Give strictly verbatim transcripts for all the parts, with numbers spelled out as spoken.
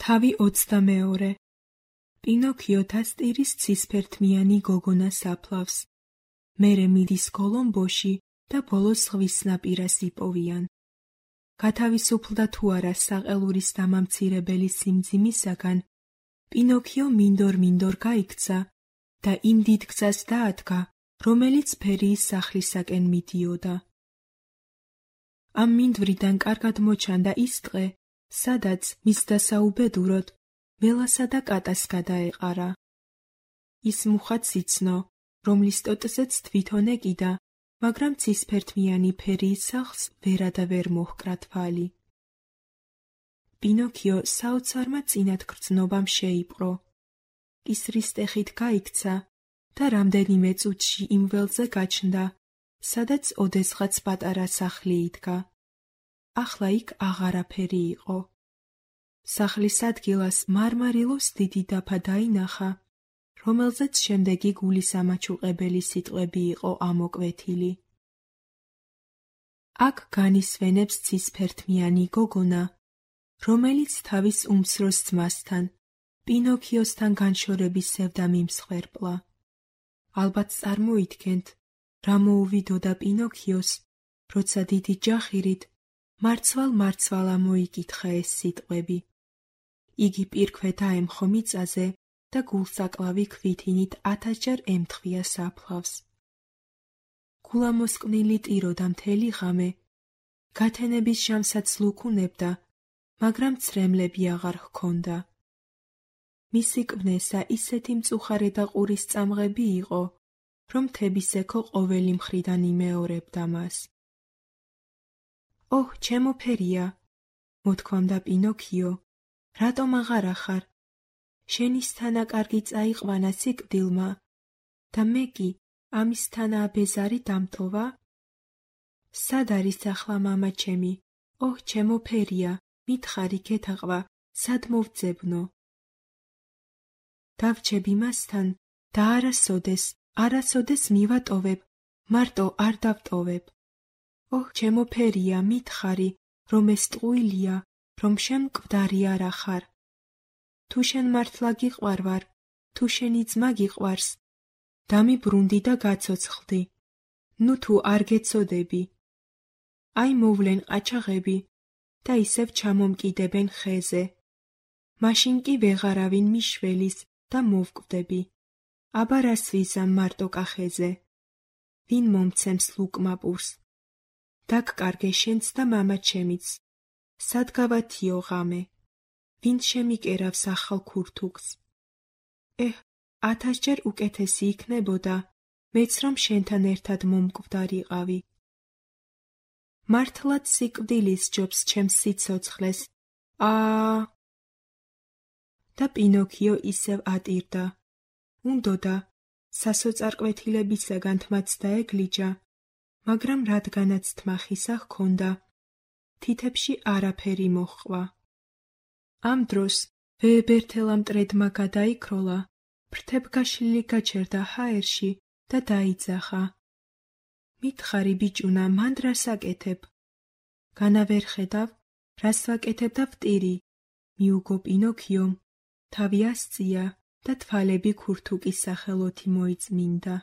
თავი ოცდამეორე. პინოქიო თასტირის ცისფერთმიანი გოგონას აფლავს. მერე მიდის კოლომბოში და ბოლოს ზღვის ნაპირას იპოვიან. გათავისუფლდა თუ არა საყელურის დამამცირებელი სიმძიმისაგან, პინოქიო მინდორ-მინდორ გაიქცა და იმ დიდ გზას დაადგა, რომელიც ფერიის სახლისაკენ მიდიოდა. ამ მინდვრიდან კარგად მოჩანდა ის დღე, სადაც მის დასაუბედუროდ ველასა და კატას გადაეყარა. ის მუხაც იცნო, რომლის ტოტზეც თვითონ ეკიდა, მაგრამ ცისფერთმიანი ფერიის სახლს ვერადა ვერ მოჰკრა თვალი. პინოქიო საოცარმა წინათ გრძნობამ შეიპყრო. კისრის ტეხით გაიქცა და რამდენიმე წუთში იმ ველზე გაჩნდა, სადაც ოდესღაც პატარა სახლი იდგა. ახლა იქ აღარაფერი იყო. სახლის ადგილას მარმარილოს დიდი დაფა დაინახა, რომელზეც შემდეგი გულის ამაჩუყებელი სიტყვები იყო ამოკვეთილი. აქ განისვენებს ცისფერთმიანი გოგონა, რომელიც თავის უმცროს ძმასთან, პინოქიოსთან განშორების სევდა მიმსხვერპლა. ალბათ წარმოიდგენთ, რა მოუვიდოდა პინოქიოს, როცა დიდი ჯახირით მარცვალ-მარცვალა მოიკითხა ეს სიტყვები. იგი პირქვე დაემხო მიწაზე და გულსაკლავი ქვითინით ათასჯერ ემთხვია საფლავს. გულამოსკვნილი ტიროდა მთელი ღამე, გათენების ჟამსაც ლუქუნებდა, მაგრამ ცრემლები აღარ ჰქონდა. მისი კვნესა ისეთი მწუხარე და ყურის წამღები იყო, რომ მთების ექო ყოველი მხრიდან იმეორებდა მას. ოჰ, ჩემო ფერია, მოთქვამდა პინოქიო, რატომ აღარ ახარ? შენის თანაკარგი წაიყვანა სიკვდილმა და მე კი ამის თანა აბეზარი დამტოვა? სად არის ახლა მამა ჩემი? ოჰ, ჩემო ფერია, მითხარი გეთაყვა, სად მოვძებნო? დავჩები მასთან და არასოდეს, არასოდეს მივატოვებ, მარტო არ დავტოვებ. ოჰ, ჩემო ფერია, მითხარი, რომ ეს ტყუილია, რომ შენ მკვდარი არ ახარ. თუ შენ მართლა გიყვარ ვარ, თუ შენი ძმა გიყვარს, დამიბრუნდი და გაცოცხლდი. ნუ თუ არ გეცოდები. აი მოვლენ ყაჩაღები და ისევ ჩამომკიდებენ ხეზე. მაშინ კი ვეღარავინ მიშველის და მოვკვდები. აბა რას ვიზამ მარტო კახეზე? ვინ მომცემს ლუკმაპურს? დაგკარგე შენც და მამა ჩემიც. სად გავათიო ღამე? ვინ შემიკერავს ახალ ქურთუქს? ეჰ, ათასჯერ უკეთესი იქნებოდა, მეც რომ შენთან ერთად მომკვდარიყავი. მართლაც სიკვდილის ჯობს ჩემს სიცოცხლეს. აა და პინოქიო ისევ ატირდა. უნდოდა სასოწარკვეთილებისაგან თმაც დაეგლიჯა, მაგრამ რადგანაც თმა ხისა ჰქონდა, თითებში არაფერი მოჰყვა. ამ დროს ვეებერთელა მტრედმა გადაიქროლა, ფრთებგაშლილი გაჩერდა ჰაერში და დაიძახა. მითხარი ბიჭუნა, მანდ რას აკეთებ? განა ვერ ხედავ, რას ვაკეთებ და ვტირი? მიუგო პინოქიომ, თავი ასწია და თვალები ქურთუკის სახელოთი მოიწმინდა.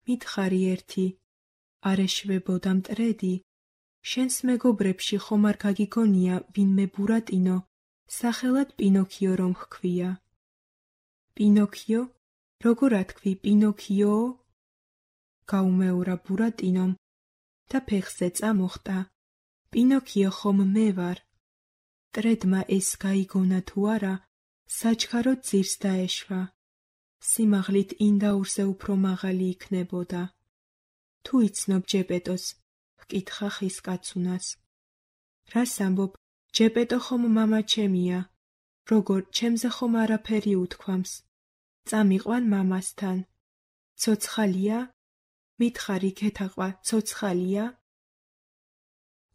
მითხარი ერთი, არ ეშვებოდა მტრედი? შენს მეგობრებში ხომ არ გაგიგონია ვინმე ბურატინო, სახელად პინოქიო რომ ჰქვია? პინოქიო? როგორ ათქვი პინოქიო? გაუმეორა ბურატინომ და ფეხზე წამოხტა. პინოქიო ხომ მე ვარ? მტრედმა ეს გაიგონა თუ არა, საჩქაროდ ძირს დაეშვა. სიმაღლით ინდაურზე უფრო მაღალი იქნებოდა. თუ იცნობ ჯეპეტოს? ჰკითხა ხის კაცუნას. რას ამბობ? ჯეპეტო ხომ მამა ჩემია. როგორ, ჩემზე ხომ არაფერი უთქვამს? წამიყვან მამასთან. ცოცხალია? მითხარი გეთაყვა, ცოცხალია?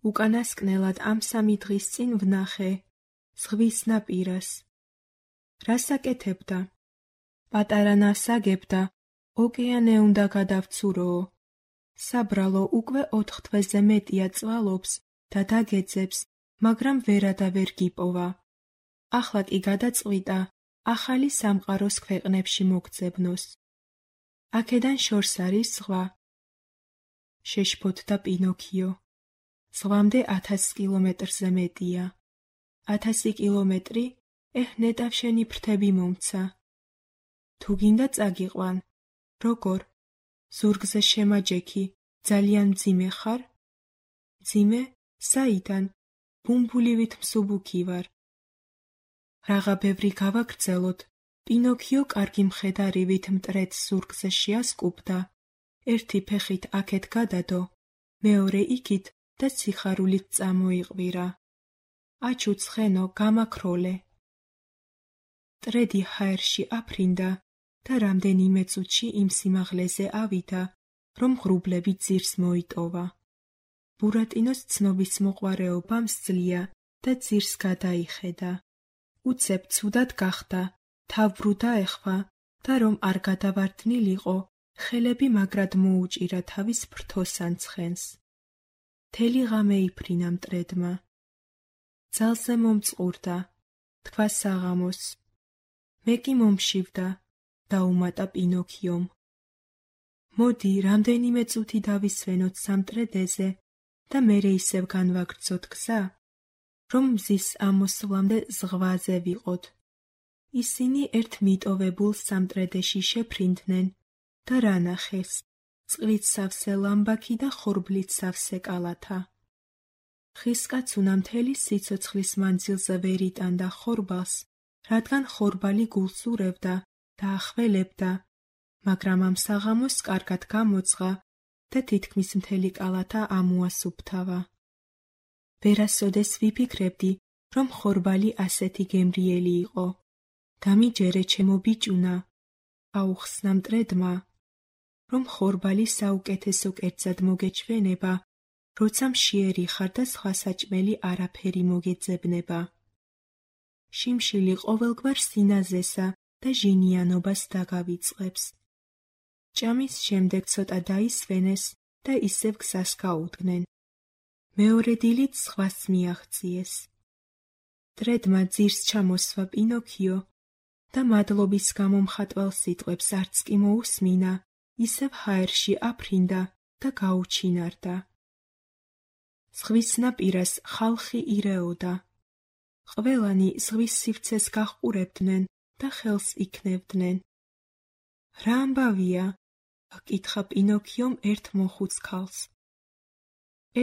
უკანასკნელად ამ სამი დღის წინ ვნახე, ზღვის ნაპირას. რას აკეთებდა? პატარა ნასაგებდა, ოკეანე უნდა გადავცუროო. საბრალო უკვე ოთხ თვეზე მეტია წვალობს და დაგეძებს, მაგრამ ვერადა ვერ გიპოვა. ახლა კი გადაწყვიტა ახალი სამყაროს ქვეყნებში მოგძებნოს. აქედან შორს არის ზღვა. შეშფოთდა პინოქიო. ზღვამდე ათას კილომეტრზე მეტია. ათასი კილომეტრი, ეჰ, ნეტავ შენი ფრთები მომცა. თუ გინდა წაგიყვან. როგორ? ზურგზე შემაჯექი, ძალიან მძიმე ხარ? მძიმე? საიდან? ბუმბულივით მსუბუქი ვარ. რაღა ბევრი გავაგრძელოთ. პინოქიო კარგი მხედარივით მტრედს ზურგზე შეასკუბდა. ერთი ფეხით აქეთ გადადო, მეორე იქით და სიხარულით წამოიყვირა. აჩუ ცხენო, გამაქროლე. მტრედი ჰაერში აფრინდა და რამდენიმე წუთში იმ სიმაღლეზე ავიდა, რომ ღრუბლები ძირს მოიტოვა. ბურატინოს ცნობის მოყვარეობამ სძლია და ძირს გადაიხედა. უცებ ცუდად გახდა, თავბრუ დაეხვა და რომ არ გადავარდნილიყო, ხელები მაგრად მოუჭირა თავის ფრთოსან ცხენს. მთელი ღამე იფრინა მტრედმა. ძალზე მომწყურდა, თქვა საღამოს. მე კი მომშივდა, დაუმატა პინოქიომ. მოდი, რამდენიმე წუთი დავისვენოთ სამტრედეზე და მერე ისევ განვაგრძოთ გზა, რომ მზის ამოსვლამდე ზღვაზე ვიყოთ. ისინი ერთ მიტოვებულ სამტრედეში შეფრინდნენ და რა ნახეს? წყლით სავსე ლამბაქი და ხორბლით სავსე კალათა. ხისკაცუნა მთელი სიცოცხლის მანძილზე ვერ იტანდა ხორბალს, რადგან ხორბალი გულს ურევდა და ახველებდა, მაგრამ ამ საღამოს კარგად გამოძღა და თითქმის მთელი კალათა ამოასუფთავა. ვერასოდეს ვიფიქრებდი, რომ ხორბალი ასეთი გემრიელი იყო. დამიჯერე ჩემო ბიჭუნა, აუხსნა მტრედმა, რომ ხორბალი საუკეთესო კერძად მოგეჩვენება, როცა მშიერი ხარ და სხვა საჭმელი არაფერი მოგეძებნება. შიმშილი ყოველგვარ სინაზესა და ჟინიანობას დაგავიწყებს. ჭამის შემდეგ ცოტა დაისვენეს და ისევ გზას გაუდგნენ. მეორე დილით ზღვას მიაღწიეს. მტრედმა ძირს ჩამოსვა პინოქიო და მადლობის გამომხატველ სიტყვებს არც კი მოусმინა, ისევ ჰაერში აფრინდა და გაუჩინარდა. ზღვის ნაპირას ხალხი ირეოდა. ყველანი ზღვის სივრცეს გაჰყურებდნენ და ხელს იქნევდნენ. რა ამბავია? აკითხა პინოქიომ ერთ მოხუც ქალს.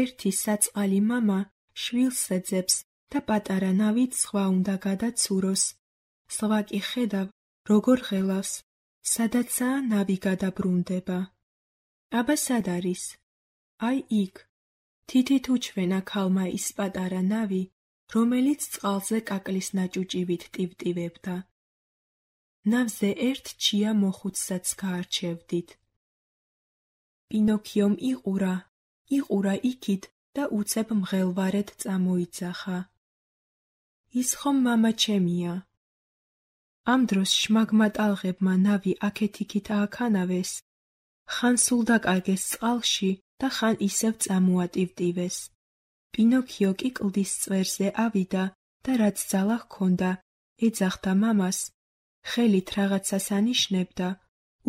ერთი საწყალი მამა შვილს ეძებს და პატარა ნავით ზღვა უნდა გადაცუროს. ზღვა კი ხედავ, როგორ ღელავს, სადაცაა ნავი გადაბრუნდება. აბა სად არის? აი იქ. თითით უჩვენა ქალმა ის პატარა ნავი, რომელიც წყალზე კაკლის ნაჭუჭივით ტივტივებდა. ნავზე ერთ ჩია მოხუცსაც გაარჩევდით. პინოქიომ იყურა, იყურა იქით და უცებ მღელვარედ წამოიძახა. ის ხომ მამა ჩემია. ამ დროს შმაგმა ტალღებმა ნავი აქეთ-იქით ააქანავეს, ხან სულ დაკარგეს წყალში და ხან ისევ წამოატივტივეს. პინოქიო კი კლდის წვერზე ავიდა და რაც ძალა ჰქონდა, ეძახდა მამას, ხელით რაღაცას ანიშნებდა,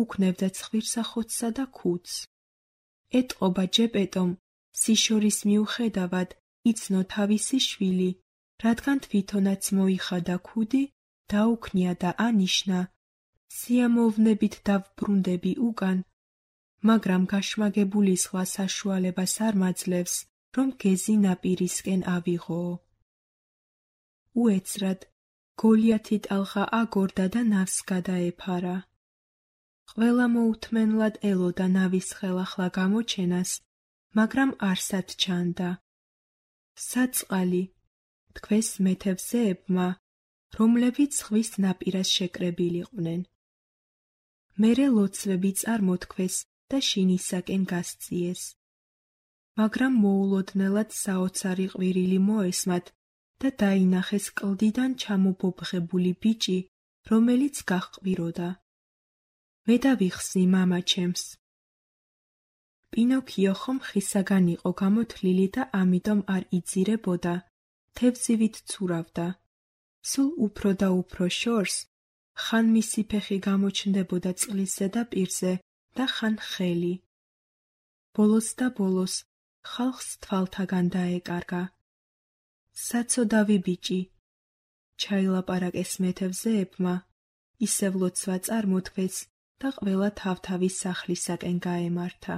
უქნევდა ცხვირსახოთსა და ქუდს. ეტყობა ჯეპეტომ, სიშორის მიუხედავად იცნო თავისი შვილი, რადგან თვითონაც მოიხადა ქუდი, დაუქნია და ანიშნა, სიამოვნებით დავბრუნდები უკან, მაგრამ გაშმაგებული ზღვა საშუალებას არ მაძლევს, რომ გეზი ნაპირისკენ ავიღოო. უეცრად, გოლიათი ტალღა აგორდა და ნავს გადაეფარა. ყველა მოუთმენლად ელოდა ნავის ხელახლა გამოჩენას, მაგრამ არსად ჩანდა. საწყალი, თქვეს მეთევზეებმა, რომლებიც ზღვის ნაპირას შეკრებილიყვნენ. მერე ლოცვები წარმოთქვეს და შინისაკენ გასწიეს. მაგრამ მოულოდნელად საოცარი ყვირილი მოესმათ და დაინახეს კლდიდან ჩამობობღებული ბიჭი, რომელიც გაჰყვიროდა. მე დავიხსნი მამა ჩემს. პინოქიო ხომ ხისაგან იყო გამოთლილი და ამიტომ არ იძირებოდა, თევზივით ცურავდა. სულ უფრო და უფრო შორს, ხან მისი ფეხი გამოჩნდებოდა წყლის ზედაპირზე და ხან ხელი. ბოლოს და ბოლოს ხალხს თვალთაგან დაეკარგა. საცოდავი ბიჭი, ჩაილაპარაკეს მეთევზეებმა, ისევ ლოცვა წარმოთქვეს და ყველა თავთავის სახლისაკენ გაემართა.